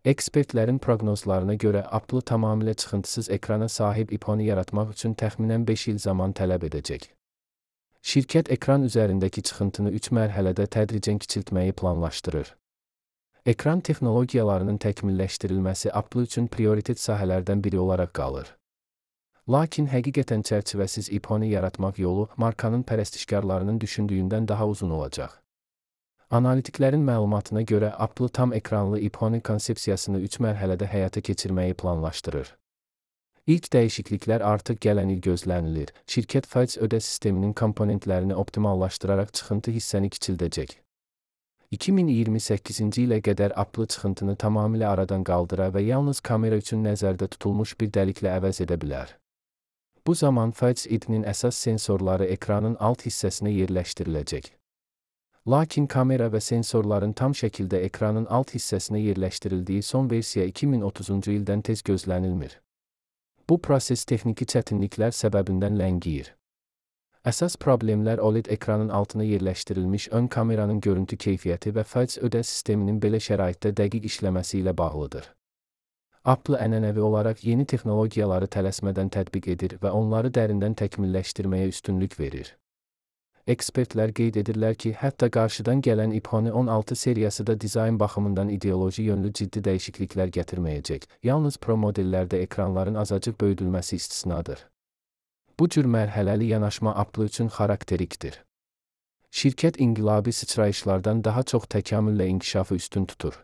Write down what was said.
Ekspertlərin proqnozlarına görə Apple tamamilə çıxıntısız ekrana sahib iPhone-u yaratmaq üçün təxminən 5 il zaman tələb edəcək. Şirkət ekran üzərindəki çıxıntını 3 mərhələdə tədricən kiçiltməyi planlaşdırır. Ekran texnologiyalarının təkmilləşdirilməsi Apple üçün prioritet sahələrdən biri olaraq qalır. Lakin həqiqətən çərçivəsiz iPhone-u yaratmaq yolu markanın pərəstişkarlarının düşündüyündən daha uzun olacaq. Analitiklərin məlumatına görə Apple tam ekranlı iPhone konsepsiyasını 3 mərhələdə həyata keçirməyi planlaşdırır. İlk dəyişikliklər artıq gələn il gözlənilir. Şirkət faiz ödə sisteminin komponentlərini optimallaşdıraraq çıxıntı hissəni kiçildəcək. 2028-ci ilə qədər Apple çıxıntını tamamilə aradan qaldıra və yalnız kamera üçün nəzərdə tutulmuş bir dəliklə əvəz edə bilər. Bu zaman Face ID-nin əsas sensorları ekranın alt hissəsinə yerləşdiriləcək. Lakin kamera və sensorların tam şəkildə ekranın alt hissəsinə yerləşdirildiyi son versiya 2030-cu ildən tez gözlənilmir. Bu proses texniki çətinliklər səbəbindən ləngiyir. Əsas problemlər OLED ekranın altına yerləşdirilmiş ön kameranın görüntü keyfiyyəti və faiz ödə sisteminin belə şəraitdə dəqiq işləməsi ilə bağlıdır. Apple ənənəvi olaraq yeni texnologiyaları tələsmədən tətbiq edir və onları dərindən təkmilləşdirməyə üstünlük verir. Ekspertlər qeyd edirlər ki, hətta qarşıdan gələn iPhone 16 seriyası da dizayn baxımından ideoloji yönlü ciddi dəyişikliklər gətirməyəcək. Yalnız Pro modellərdə ekranların azacıq böyüdülməsi istisnadır. Bu cür mərhələli yanaşma Apple üçün xarakterikdir. Şirkət inqilabi sıçrayışlardan daha çox təkamüllə inkişafı üstün tutur.